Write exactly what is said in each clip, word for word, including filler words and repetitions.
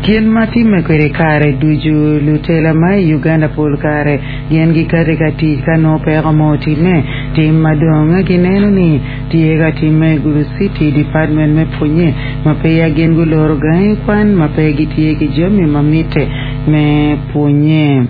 Kit ma timme kwede kare ducu lutela ma i Uganda pol kare gin gikati ka tic ka nongo peko mo otimme tim madong gineno ni tye ka timme i Gulu City Department me pwonye ma peya gin guloro gangi kwan ma pe gitye ki jami ma mitte me pwonye.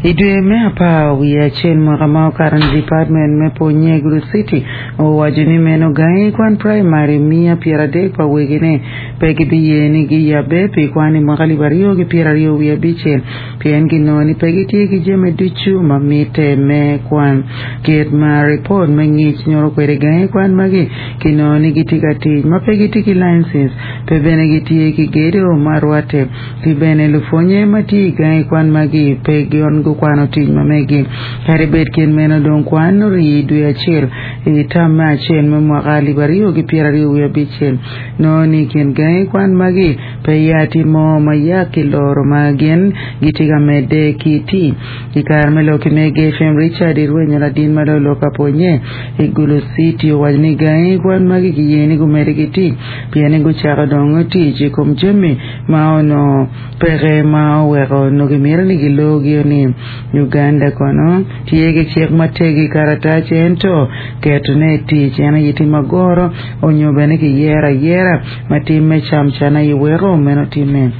I dwe me apar wiye acel mwaka ma okato ni Department me pwonye Gulu City owaco ni meno gangi kwan primary mia pyeradek pa wegine pe gibiye ni giyabbe pi kwan i mwaka alip aryo ki pyeraryo wiye abicel pien ginongo ni pe gitye ki jami ducu ma mitte me kwan. Kit ma ripot me ngic nyuto kwede gangi kwan magi kinongo ni gitye ka tic ma pe gitye ki license pe bene gitye ki gedo ma rwatte ki bene lupwonye ma tye i gangi kwan magi pe gin gukwano tic ma megi. Kadi bed kit meno dong kwan orii dwe acel i tam me acel me mwaka alip aryo ki pyeraryo wiye abicel nongo ni i kin gangi kwan magi pe ya tye mo ma yak ki loro ma gin gitye ka medde ki tic. I kare me lok ki Mega FM Richard Irwenyo ladin ma lolo ka pwonye i Gulu City owaco ni gangi kwan magi kiye ni gumedde ki tic pien ni gucako dong tic i kom jami ma onongo peke ma oweko onongo gimito ni gilogio ni Uganda kono tye ki cik matek i karatac ento ketone i tic en aye tye magoro onyo bene kiyero ayera ma tim me camcana i weko meno timme.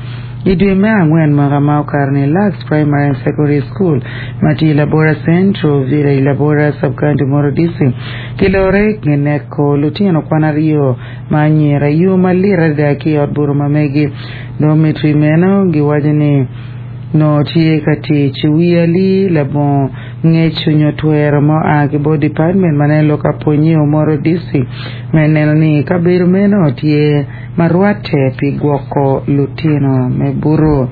I dwe me angwen mwaka ma okato ni Lux Primary and Secondary School ma tye i Labora Central Village Labora Sub-County Omoro District kilore gineko lutino kwan aryo ma anyira i yo malit adada ki i ot buto ma megi dormitory meno giwaco ni nongo tye ka tic wi ali labongo ngec onyo twero ma oa ki bot department ma neno lok ka pwonye Omoro District me neno ni kabedo meno tye ma rwatte pi gwoko lutino me buto.